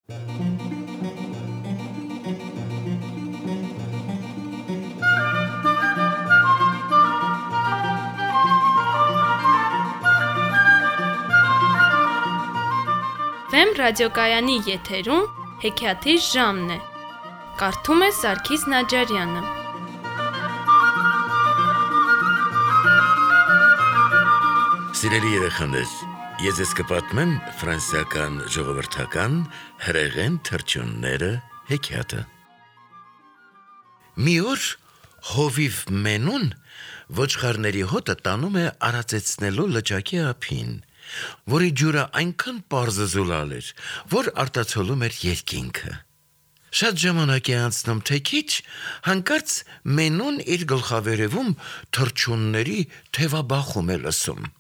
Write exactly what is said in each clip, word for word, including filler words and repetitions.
Վեմ ռադիոկայանի եթերում հեքիաթի ժամն է։ Կարդում է Սարգիս Նաջարյանը։ Սիրելի երեխաներ, ես ես կպատմեմ ֆրանսիական ժողովրդական հրեղեն թռչունները հեքիաթը։ Մի օր հովիվ Մենուն ոչխարների հոտը տանում է արածեցնելու լճակի ափին, որի ջուրը այնքան պարզզուլալ էր, որ արտացոլում էր երկինքը։ Շատ ժամանակ է անցնում, թե քիչ, հանկարծ Մենուն իր գլխավերևում թռչունների թևաբախում է լսում։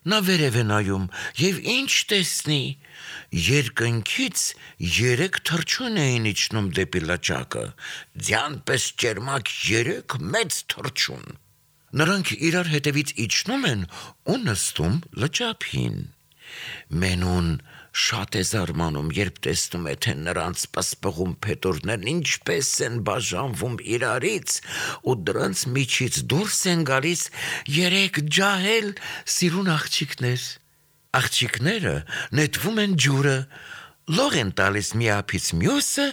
Նա վերև է նայում և ինչ տեսնի, երկնքից երեք թռչուն էին իջնում դեպի լճակը, ձյան պես ճերմակ երեք մեծ թռչուն։ Նրանք իրար հետևից իջնում են ու նստում լճափին։ Մենուն շատ է զարմանում, երբ տեսնում է, թե նրանց պսպղում փետուրներն ինչպես են բաժանվում իրարից, ու դրանց միջից դուրս են գալիս երեք ջահել սիրուն աղջիկներ։ Աղջիկները նետվում են ջուրը, լող են տալիս մի ափից մյուսը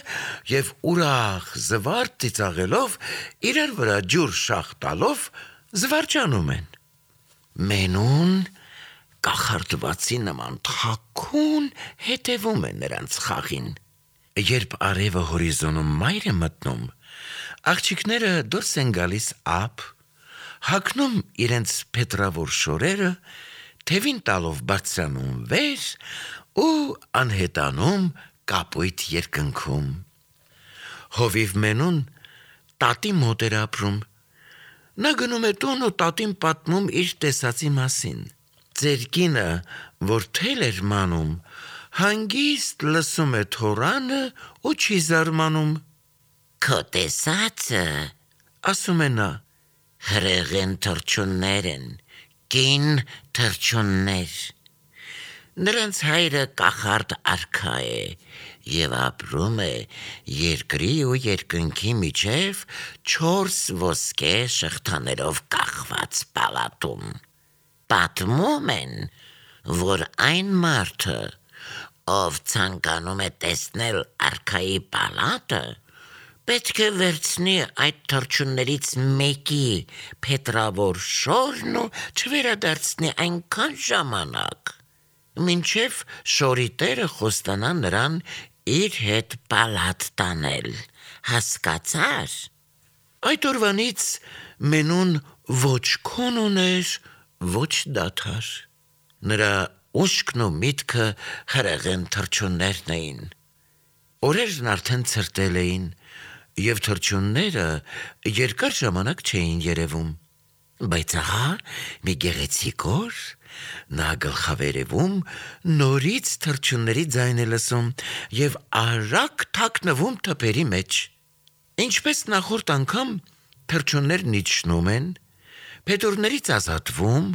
և ուրախ զվարթ ծիծաղելով, իրար վրա ջուր շաղ տալով զվարճանում են։ Մենուն կախարդվածի նման թաքուն հետևում է նրանց խաղին։ Երբ արևը հորիզոնում մայր է մտնում, աղջիկները դուրս են գալիս ափ, հագնում իրենց փետրավոր շորերը, թևին տալով բարձրանում վեր ու անհետանում կապույտ երկնքում։ Հովիվ Մենուն տատի մոտ էր ապրում։ Նա գնում է տուն ու տատին պատմում իր տեսածի մասին։ Ձեր կինը, որ թել էր մանում, հանգիստ լսում է թոռանը ու չի զարմանում։ Քո տեսածը, ասում է նա, հրեղեն թռչուններ են, կին թռչուններ։ Նրանց հայրը կախարդ արքա է և ապրում է երկրի ու երկնքի միջև չորս ոսկե շղթաներով կախված պալատում։ Պատմում են, որ այն մարդը, ով ցանկանում է տեսնել արքայի պալատը, պետք է վերցնի այդ թռչուններից մեկի փետրավոր շորն ու չվերադարձնի այնքան ժամանակ, մինչև շորի տերը խոստանա նրան իր հետ պալատ տանել, հասկացա՞ր։ Այդ օրվանից Մենուն ոչ քուն ուներ, ոչ դադար։ Նրա ուշքն ու միտքը հրեղեն թռչուններն էին։ Օրերն արդեն ցրտել էին, և թռչունները երկար ժամանակ չէին երևում։ Բայց ահա մի գեղեցիկ օր նա գլխավերևում նորից թռչունների ձայն է լսում և արագ թաքնվում թփերի մեջ։ Ինչպես նախորդ անգամ, թռչուններն իջնում են, փետուրներից ազատվում,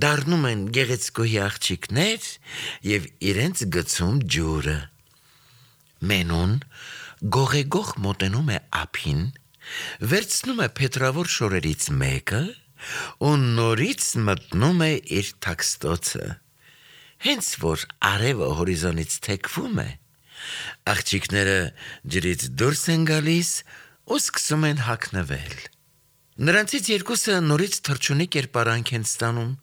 դառնում են գեղեցկուհի աղջիկներ և իրենց գցում ջուրը։ Մենուն գողեգող մոտենում է ափին, վերցնում է փետրավոր շորերից մեկը ու նորից մտնում է իր թաքստոցը։ Հենց որ արևը հորիզոնից թեքվում է, աղջիկները ջրից դուրս են գալիս ու սկսում են հագնվել։ Նրանցից երկուսը նորից թռչունի կերպարանք են ստանում,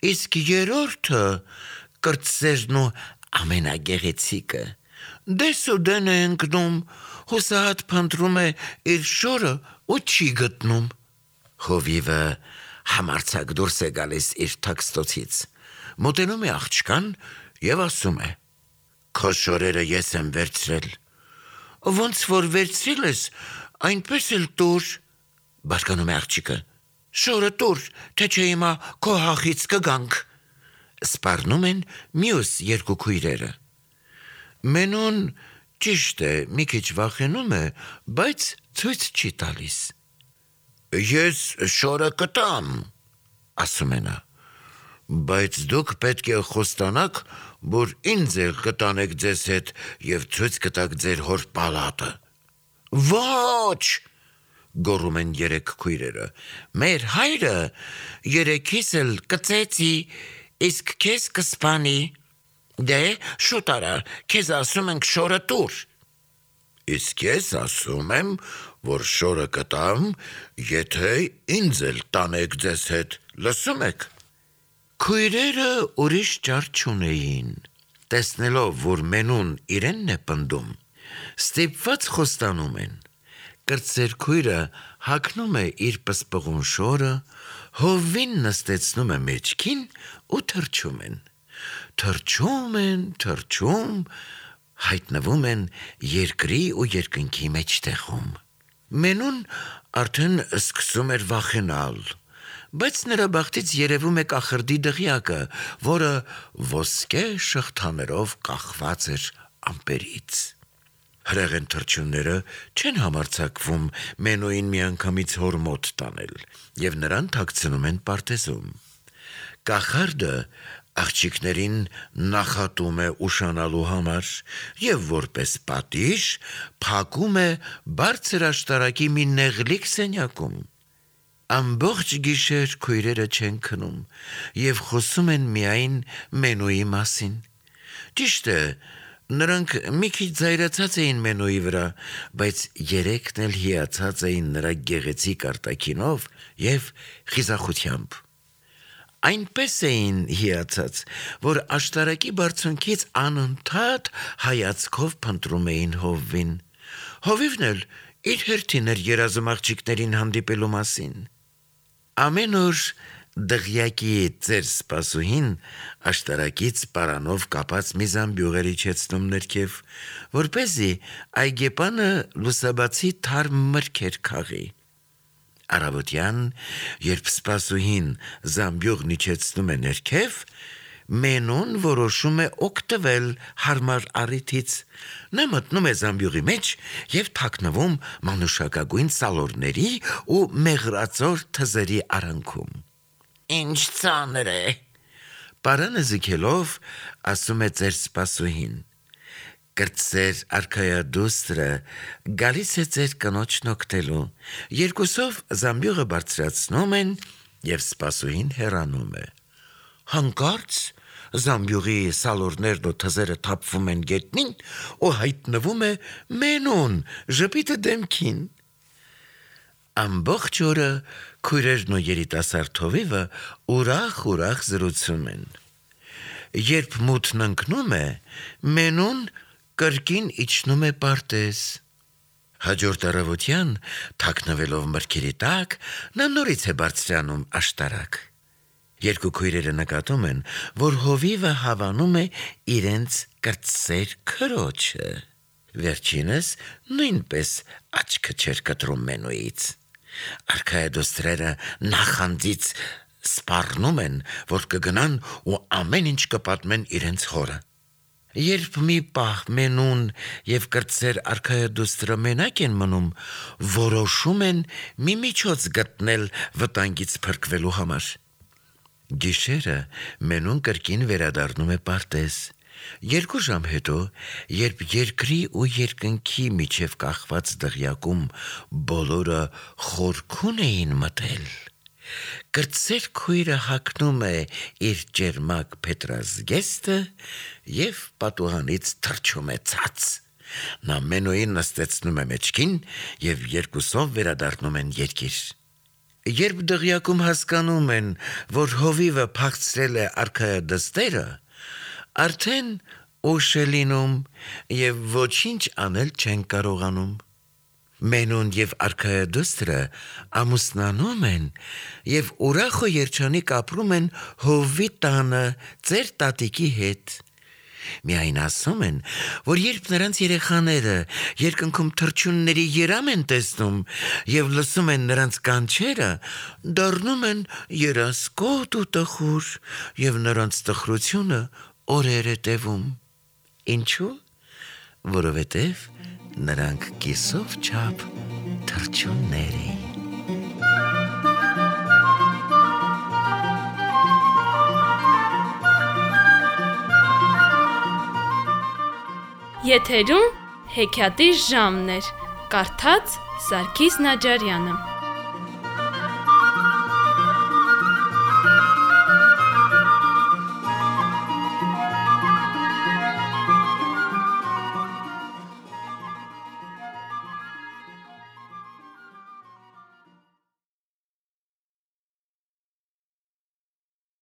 իսկ երրորդը, կրտսերն ու ամենագեղեցիկը, դես ու դեն է ընկնում, հուսահատ փնտրում է իր շորը ու չի գտնում։ Հովիվը համարձակ դուրս է գալիս իր թաքստոցից, մոտենում է աղջկան և ասում է. Քո շորերը ես եմ վերցրել։ Ոնց որ վերցրել ես, այնպես էլ տուր։ Բարկանում է աղջիկը. Շորը տուր, թե չէ հիմա քո հախից կգանք։ Սպառնում են մյուս երկու քույրերը։ Մենուն, ճիշտ է, մի քիչ վախենում է, բայց ցույց չի տալիս։ Ես շորը կտամ, ասում է նա, բայց դուք պետք է խոստանաք, որ ինձ էլ կտանեք ձեզ հետ եւ ցույց կտաք ձեր հոր պալատը։ Ոչ, գոռում են երեք քույրերը։ Մեր հայրը երեքիս էլ կծեցի, իսկ քեզ կսպանի։ Դե շուտ արա, քեզ ասում ենք շորը տուր։ Իսկ ես ասում եմ, որ շորը կտամ, եթե ինձ էլ տանեք ձեզ հետ, լսում եք։ Քույրերը ուրիշ ճար չունեին, տեսնելով, որ մենուն իրենն է պնդում, ստիպված խոստանում են։ Կրտսեր քույրը հագնում է իր պսպղուն շորը, հովին նստեցնում է մեջքին ու թռչում են։ Թռչում են, թռչում, հայտնվում են երկրի ու երկնքի մեջտեղում։ Մենուն արդեն սկսում էր վախենալ, բայց նրա բախտից երևում է կախրդի դղյակը, որը ոսկե շղթաներով կախված էր ամպերից։ Հրեղեն թռչունները չեն համարձակվում Մենուին միանգամից հոր մոտ տանել եւ նրան թաքցնում են պարտեզում։ Կախարդը աղջիկներին նախատում է ուշանալու համար եւ որպես պատիժ փակում է բարձր աշտարակի մի նեղլիկ սենյակում։ Ամբողջ գիշեր քույրերը չեն քնում եւ խոսում են միայն Մենուի մասին։ Ճիշտ է, նրանք մի քիչ զայրացած էին Մենուի վրա, բայց երեքն էլ հիացած էին նրա գեղեցիկ արտաքինով եւ խիզախությամբ։ Այնպես էին հիացած, որ աշտարակի բարձունքից անընդհատ հայացքով փնտրում էին հովվին։ Հովիվն էլ իր հերթին էր երազում աղջիկներին հանդիպելու մասին։ Ամեն օր դղյակի ծեր սպասուհին աշտարակից պարանով կապած մի զամբյուղ էր իջեցնում ներքև, որպեսզի այգեպանը լուսաբացի թարմ մրգեր քաղի։ Առավոտյան, երբ սպասուհին զամբյուղն իջեցնում է ներքև, Մենուն որոշում է օգտվել հարմար առիթից։ Նա մտնում է զամբյուղի մեջ եւ թաքնվում մանուշակագույն սալորների ու մեղրածոր թզերի արանքում։ Ինչ ծանր է, պարանը զգելով ասում է ծեր սպասուհին։ Կրտսեր արքայադուստրը գալիս է ձեր կնոջն օգտելու։ Երկուսով զամբյուղը բարձրացնում են եւ սպասուհին հեռանում է։ Հանկարծ զամբյուղի սալորներն ու թզերը թափվում են գետնին ու հայտնվում է Մենուն ժպիտը դեմքին։ Ամբողջ օրը քույրերն ու երիտասարդ հովիվը ուրախ-ուրախ զրուցում են։ Երբ մութն ընկնում է, Մենուն կրկին իջնում է պարտեզ։ Հաջորդ առավոտյան, թաքնվելով մրգերի տակ, նա նորից է բարձրանում աշտարակ։ Երկու քույրերը նկատում են, որ հովիվը հավանում է իրենց կրտսեր քրոջը։ Վերջինս նույնպես աչքը չէր կտրում Մենուից։ Արքայադուստրերը նախանձից սպառնում են, որ կգնան ու ամեն ինչ կպատմեն իրենց հորը։ Երբ մի պահ Մենուն եւ կրտսեր արքայադուստրը մենակ են մնում, որոշում են մի միջոց գտնել վտանգից փրկվելու համար։ Գիշերը Մենուն կրկին վերադառնում է պարտեզ։ Երկու ժամ հետո, երբ երկրի ու երկնքի միջև կախված դղյակում բոլորը խորքուն էին մտել, կրտսեր քույրը հագնում է իր ճերմակ փետրազգեստը եւ պատուհանից թռչում է ցած։ Նա Մենուին նստեցնում է մեջքին եւ երկուսով վերադառնում են երկիր։ Երբ դղյակում հասկանում են, որ հովիվը փախցրել է արքայադստերը, արդեն ուշ է լինում եւ ոչինչ անել չեն կարողանում։ Մենուն եւ արքայադուստրը ամուսնանում են եւ ուրախ ու երջանիկ ապրում են հովվի տանը ծեր տատիկի հետ։ Միայն ասում են, որ երբ նրանց երեխաները երկնքում թռչունների երամ են տեսնում եւ լսում են նրանց կանչերը, դառնում են երասկոտ ու տխուր եւ նրանց տխրությունը օրեր է տևում։ Ինչու՞։ Որովհետեւ նրանք կիսով չափ թռչուններ էին։ Եթերում հեքիաթի ժամն էր։ Կարդաց Սարգիս Նաջարյանը։